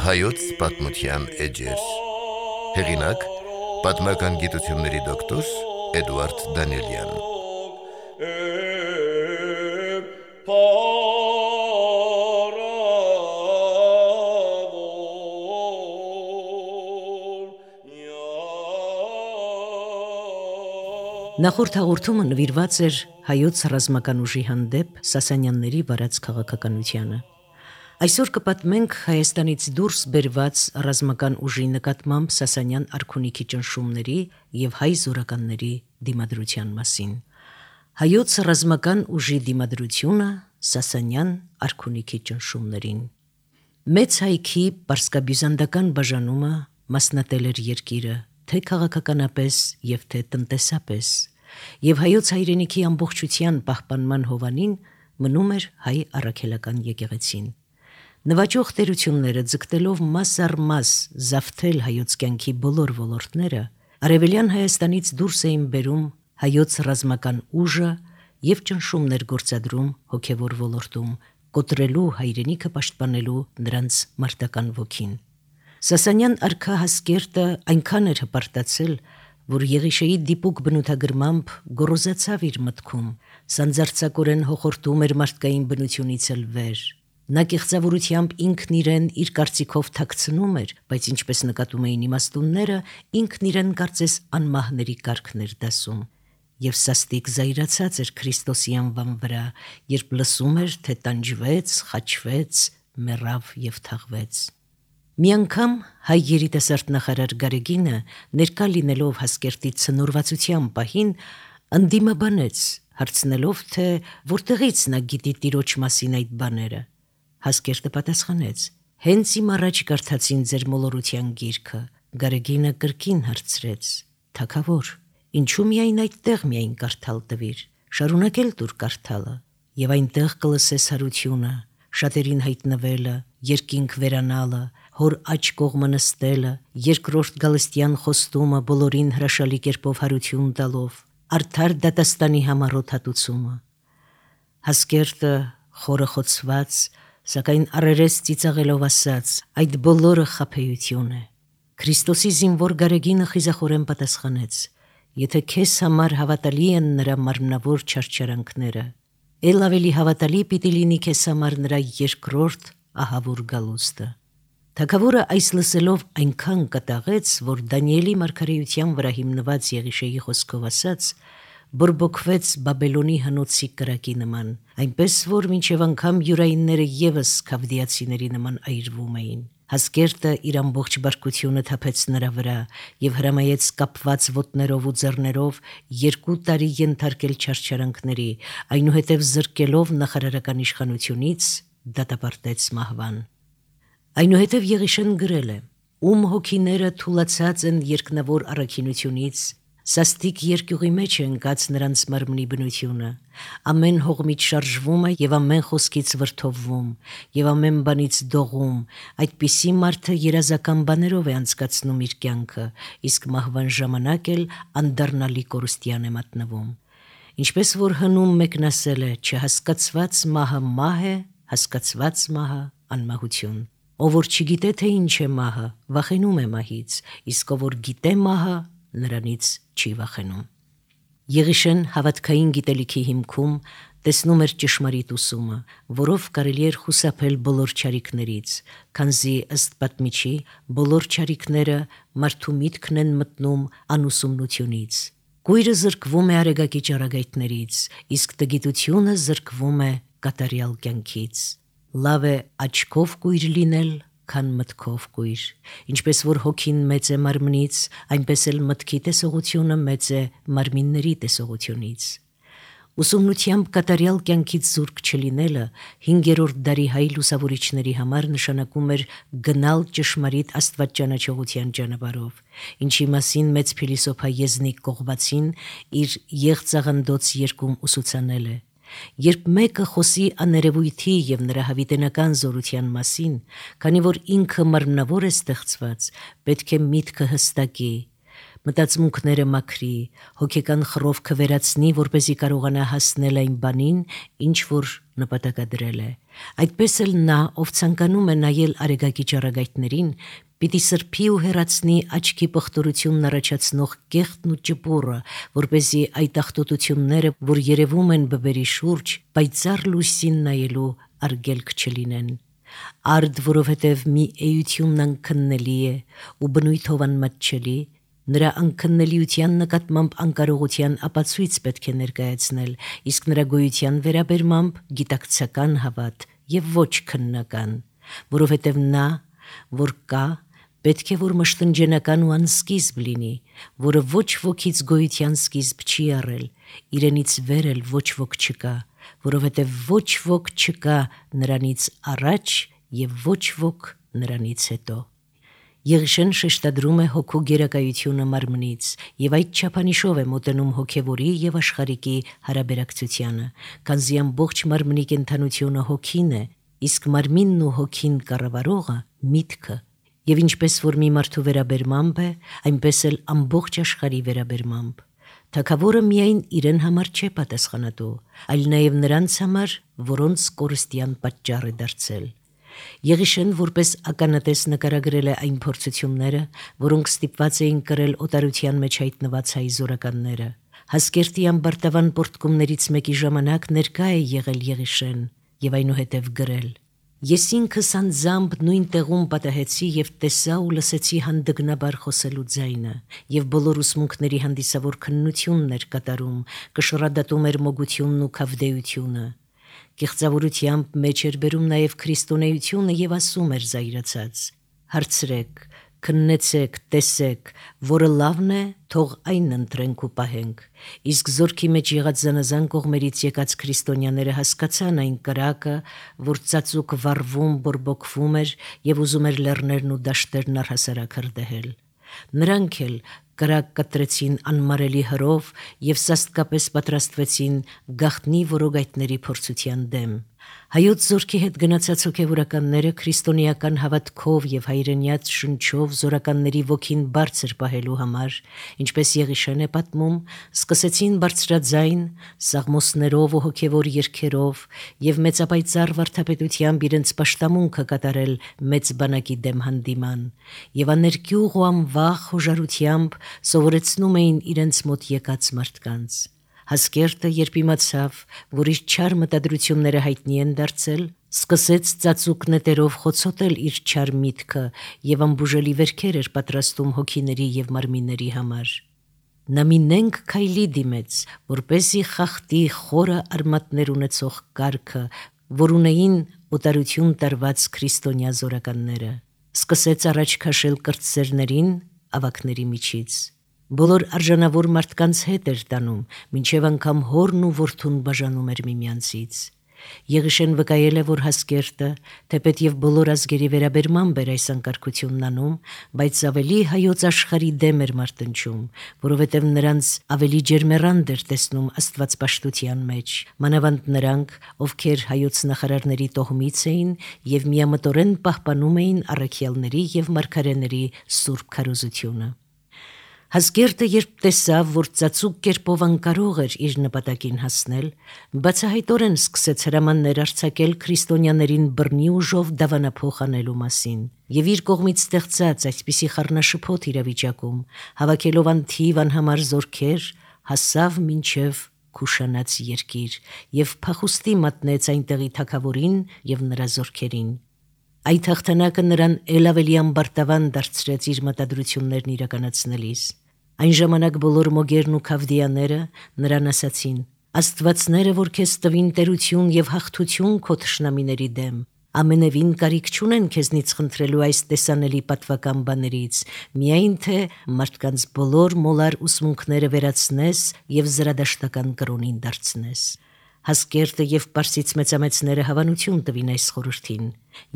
Հայոց պատմության էջեր։ Հեղինակ՝ պատմական գիտությունների դոկտոր Էդուարդ Դանիելյան։ Նախորդ հաղորդումը նվիրված էր հայոց ռազմական ուժի հանդեպ Սասանյանների վարած քաղաքականությանը։ Այսօր կպատմենք Հայաստանից դուրս բերված ռազմական ուժի նկատմամբ Սասանյան արքունիքի ճնշումների և հայ զորականների դիմադրության մասին։ Հայոց ռազմական ուժի դիմադրությունը Սասանյան արքունիքի ճնշումներին։ Մեծ հայքի պարսկաբյուզանդական բաժանումը մասնատել էր երկիրը, թե քաղաքականապես և թե տնտեսապես, և հայոց հայրենիքի ամբողջության պահպանման հովանին մնում էր հայ առաքելական եկեղեցին։ Նվաճող տերությունները ձգտելով մաս առ մաս զավթել հայոց կյանքի բոլոր ոլորտները, արևելյան Հայաստանից դուրս էին բերում հայոց ռազմական ուժը և ճնշումներ գործադրում հոգևոր ոլորտում, կոտրելու հայրենիքը պաշտպանելու նրանց մարտական ոգին։ Սասանյան արքա Հասկերտը այնքան էր հպարտացել, որ Եղիշեի դիպուկ բնութագրմամբ գոռոզացավ իր մտքում, սանձարձակորեն հոխորտում էր մարդկային բնությունից էլ վեր։ Նա կեղծավորությամբ ինքն իրեն իր կարծիքով թաքցնում էր, բայց ինչպես նկատում էին իմաստունները, ինքն իրեն կարծես անմահների կարգն էր դասում, և սաստիկ զայրացած էր Քրիստոսի անվան վրա, երբ լսում էր, թե տանջվեց, խաչվեց, մեռավ և թաղվեց։ Մի անգամ հայ երիտասարդ նախարար Գարեգինը, ներկա լինելով Հասկերտի ցնորվածության պահին, ընդդիմաբանեց, հարցնելով, թե որտեղից նա գիտի տիրոջ մասին այդ բաները։ Հասկերտը պատասխանեց. «Հենց իմ առաջ կարդացին ձեր մոլորության գիրքը»։ Գարեգինը կրկին հարցրեց. «Թագավոր, ինչու միայն այդտեղ միայն կարդալ տվիր, շարունակել տուր կարդալը, և այնտեղ կլսես հարությունը, շատերին հայտնվելը, երկինք վերանալը, հոր աջ կողմը նստելը, երկրորդ գալստյան խոստումը բոլորին հրաշալի կերպով հարություն տալով, արդար դատաստանի համառոտ հատուցումը»։ Հասկերտը խորը խոցված, սակայն առերես ծիծաղելով ասաց. «Այդ բոլորը խաբեություն է»։ Քրիստոսի զինվոր Գարեգինը խիզախորեն պատասխանեց. «Եթե քեզ համար հավատալի են նրա մարմնավոր չարչարանքները, էլ ավելի հավատալի պիտի լինի քեզ համար նրա երկրորդ ահավոր գալուստը»։ Թագավորը այս լսելով այնքան կատաղեց, որ Դանիելի մարգարեության վրա հիմնված Եղիշեի խոսքով ասած, բորբոքվեց Բաբելոնի հնոցի կրակի նման, այնպես որ մինչև անգամ յուրայինները ևս քավդիացիների նման այրվում էին։ Հասկերտը իր ամբողջ բարկությունը թափեց նրա վրա և հրամայեց կապված ոտներով ու ձեռներով 2 տարի ենթարկել չարչարանքների, այնուհետև զրկելով նախարարական իշխանությունից դատապարտեց մահվան։ Այնուհետև Եղիշեն գրել է. «Ում հոգիները թուլացած են երկնավոր առաքինությունից, սաստիկ երկյուղի մեջ է ընկած նրանց մարմնի բնությունը, ամեն հողմից շարժվում է և ամեն խոսքից վրդովվում, և ամեն բանից դողում, այդպիսի մարդը երազական բաներով է անցկացնում իր կյանքը, իսկ մահվան ժամանակ էլ անդառնալի կորուստյան է մատնվում։ Ինչպես որ հնում մեկն ասել է. չհասկացված մահը մահ է, հասկացված մահը անմահություն։ Ով որ չգիտե, թե ինչ է մահը, վախենում է մահից, իսկ ով որ գիտե մահը, նրանից չի վախենում»։ Եղիշեն հավատքային գիտելիքի հիմքում տեսնում էր ճշմարիտ ուսումը, որով կարելի էր խուսափել բոլոր չարիքներից, քանզի ըստ պատմիչի բոլոր չարիքները մարդու միտքն են մտնում անուսումնությունից։ Կույրը զրկվում է արեգակի ճառագայթներից, իսկ տգիտությունը զրկվում է կատարյալ կյանքից։ Լավ է աչքով կույր լինել, քան մտքով կույր։ Ինչպես որ հոգին մեծ է մարմնից, այնպես էլ մտքի տեսողությունը մեծ է մարմինների տեսողությունից։ Ուսումնությամբ կատարյալ կյանքից զուրկ չլինելը 5-րդ դարի հայ լուսավորիչների համար նշանակում էր գնալ ճշմարիտ աստվածճանաչողության ճանապարհով, ինչի մասին մեծ փիլիսոփա Եզնիկ Կողբացին իր եղծաղնդոց երգում ուսուցանել է. Երբ մեկը խոսի աներևույթի և նրա հավիտենական զորության մասին, քանի որ ինքը մարմնավոր է ստեղծված, պետք է միտքը հստակի, մտածմունքները մաքրի, հոգեկան խռովքը վերացնի, որպեսզի կարողանա հասնել այն բանին, ինչ որ նպատակադրել է։ Այդպես էլ նա, ով ցանկանում է նայել արեգակի ճառագայթներին, պիտի սրբի ու հեռացնի աչքի պղտորությունն առաջացնող կեղտն ու ճպուռը, որպեսզի այդ աղտոտությունները, որ երևում են բբերի շուրջ, պայծառ լույսին նայելու արգելք չլինեն։ Արդ, որովհետև մի էությունն անքննելի է ու բնույթով անմատչելի, նրա անքննելիության նկատմամբ անկարողության ապացույց պետք է ներկայացնել, իսկ նրա գոյության վերաբերմամբ գիտակցական հավատ եւ ոչ քննական, որովհետև նա, որ կա, պետք է որ մշտնջենական ու անսկիզբ լինի, որը ոչ ոքից գոյության սկիզբ չի առել, իրենից վեր էլ ոչ ոք չկա, որովհետև ոչ ոք չկա նրանից առաջ եւ ոչ ոք նրանից հետո։ Եղիշեն շեշտադրում է հոգու գերակայությունը մարմնից եւ այդ չափանիշով է մոտենում հոգեվորի եւ աշխարհիկի հարաբերակցությանը, քանզի ամբողջ մարմնի կենթանությունը հոգին է, իսկ մարմինն ու հոգին կառավարողը միտքը, եւ ինչպես որ մի մարդու վերաբերմամբ է, այնպես էլ ամբողջ աշխարհի վերաբերմամբ։ Թագավորը միայն իրեն համար չէ պատասխանատու, այլ նաև նրանց համար, որոնց կորստյան պատճառ է դարձել։ Եղիշեն որպես ականատես նկարագրել է այն փորձությունները, որոնք ստիպված էին կրել օտարության մեջ հայտնված հայ զորականները։ Հասկերտի ամբարտավան պորտկումներից մեկի ժամանակ ներկա է եղել Եղիշեն եւ այնուհետև գրել. Ես ինքս անձամբ նույն տեղում պատահեցի եւ տեսա ու լսեցի հանդգնաբար խոսելու ձայնը, եւ բոլոր ուսմունքների հանդիսավոր քննությունն էր կատարում, կշռադատում էր մոգությունն ու քավդեությունը։ Կեղծավորությամբ մեջ էր բերում նաեւ քրիստոնեությունը եւ ասում էր զայրացած. հարցրեք, քննեցեք, տեսեք, որը լավն է, թող այն ընտրենք ու պահենք։ Իսկ զորքի մեջ եղած զանազան կողմերից եկած քրիստոնյաները հասկացան այն կրակը, որ ծածուկ վառվում, բորբոքվում էր եւ ուզում էր լեռներն ու դաշտերն առհասարակ հրդեհել։ Նրանք էլ կրակ կտրեցին անմարելի հրով եւ սաստկապես պատրաստվեցին գաղտնի որոգայթների փորձության դեմ։ Հայոց զորքի հետ գնացած հոգևորականները քրիստոնեական հավատքով եւ հայրենյաց շնչով զորականների ոգին բարձր պահելու համար, ինչպես Եղիշեն է պատմում, սկսեցին բարձրաձայն սաղմոսներով ու հոգևոր երգերով եւ մեծապայծառ վարդապետությամբ իրենց պաշտամունքը կատարել մեծ բանակի դեմ հանդիման եւ աներկյուղ ու անվախ հոժարությամբ սովորեցնում էին իրենց մոտ եկած մարդկանց։ Հասկերտը, երբ իմացավ, որ իր չար մտադրությունները հայտնի են դարձել, սկսեց ծածուկ նետերով խոցոտել իր չար միտքը եւ ամբուժելի վերքեր էր պատրաստում հոգիների եւ մարմինների համար։ Նա մի նենգ քայլի դիմեց, որպեսզի խախտի խորը արմատներ ունեցող կարգը, որ ունեին օտարություն տարված քրիստոնյա զորականները։ Սկսեց առաջ քաշել կրտսերներին ավակների միջից։ Բոլոր արժանավոր մարդկանց հետ էր տանում, մինչև անգամ հորն ու որդուն բաժանում էր միմյանցից։ Եղիշեն վկայել է, որ Հասկերտը, թեպետ եւ բոլոր ազգերի վերաբերմամբ էր այս անկարգությունն անում, բայց ավելի հայոց աշխարհի դեմ էր մարտնչում, որովհետեւ նրանց ավելի ջերմեռանդ էր տեսնում աստվածպաշտության մեջ, մանավանդ նրանք, ովքեր հայոց նախարարների տոհմից էին եւ միամտորեն պահպանում էին առաքյալների եւ մարգարեների սուրբ քարոզությունը։ Հասկերտը, երբ տեսավ, որ ծածուկ կերպով անկարող էր իր նպատակին հասնել, բացահայտորեն սկսեց հրամաններ արձակել քրիստոնյաներին բռնի ուժով դավանափոխ անելու մասին եւ իր կողմից ստեղծած այսպիսի խառնաշփոթ իրավիճակում, հավաքելով անթիվ անհամար զորքեր, հասավ մինչև Քուշանաց երկիր եւ փախուստի մատնեց այնտեղի թագավորին եւ նրա զորքերին։ Այդ հաղթանակը նրան ել ավելի ամբարտավան դարձրեց իր մտադրություններն իրականացնելիս։ Այն ժամանակ բոլոր մոգերն ու քավդիաները նրան ասացին. Աստվածները, որ քեզ տվին տերություն եւ հաղթություն քո թշնամիների դեմ, ամենևին կարիք չունեն քեզնից խնդրելու այս տեսանելի պատվական բաներից, միայն թե մարդկանց բոլոր մոլար ուսմունքները վերացնես եւ զրադաշտական կրոնին դարձնես։ Հասկերտը եւ պարսից մեծամեծները հավանություն տվին այս խորհրդին,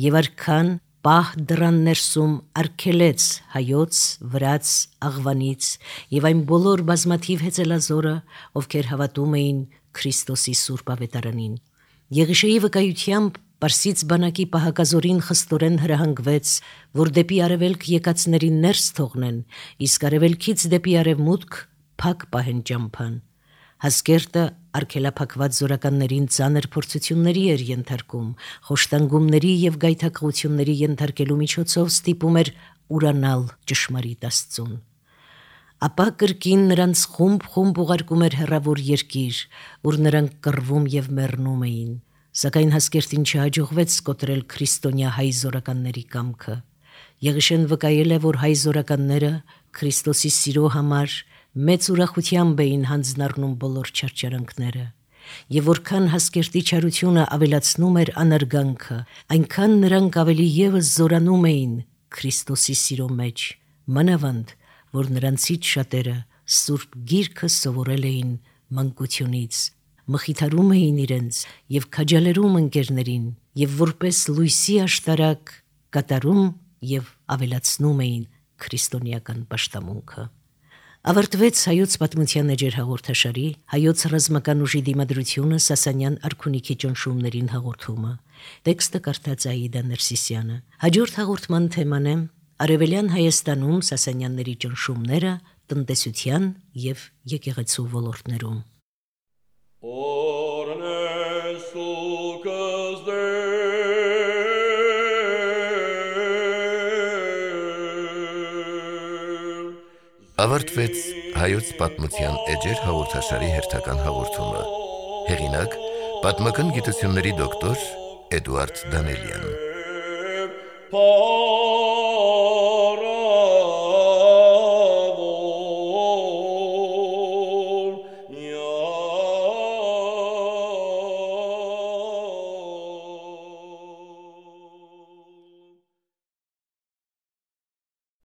եւ արքան պահ դռան ներսում արգելեց հայոց, վրաց, աղվանից եւ այն բոլոր բազմաթիվ հեծելազորը, ովքեր հավատում էին Քրիստոսի սուրբ ավետարանին։ Եղիշեի վկայությամբ Պարսից բանակի պահակազորին խստորեն հրահանգվեց, որ դեպի արևելք եկածներին ներս թողնեն, իսկ արևելքից դեպի արևմուտք փակ պահեն ճամփան։ Հասկերտը արգելափակված զորականներին ծանր փորձությունների էր ենթարկում, խոշտանգումների եւ գայթակղությունների ենթարկելու միջոցով ստիպում էր ուրանալ ճշմարիտ Աստծուն։ Ապա կրկին նրանց խումբ ուղարկում էր հեռավոր երկիր, ուր նրանք կռվում եւ մեռնում էին, սակայն Հասկերտին չհաջողվեց կոտրել քրիստոնյա հայ զորականների կամքը։ Եղիշեն վկայել է, որ հայ զորականները Քրիստոսի սիրո համար մեծ ուրախությամբ էին հանձնառնում բոլոր չարչարանքները, եւ որքան Հասկերտի չարությունը ավելացնում էր անարգանքը, այնքան նրանք ավելի եւս զորանում էին Քրիստոսի սիրո մեջ, մանավանդ որ նրանցից շատերը Սուրբ Գիրքը սովորել էին մանկությունից, մխիթարում էին իրենց եւ քաջալերում ընկերներին եւ որպես լույսի աշտարակ կատարում եւ ավելացնում էին քրիստոնեական պաշտամունքը։ Ավարտվեց հայոց պատմության էջեր հաղորդաշարի հայոց ռազմական ուժի դիմադրությունը Սասանյան արքունիքի ճնշումներին հաղորդումը։ Տեքստը կարդաց Աիդա Ներսիսյանը։ Հաջորդ հաղորդման թեման է Արևելյան Հայաստանում Սասանյանների ճնշումները տնտեսության եւ եկեղեցու ոլորտներում։ Ավարտվեց հայոց պատմության էջեր հաղորդաշարի հերթական հաղորդումը։ Հեղինակ՝ պատմական գիտությունների դոկտոր Էդուարդ Դանելյան։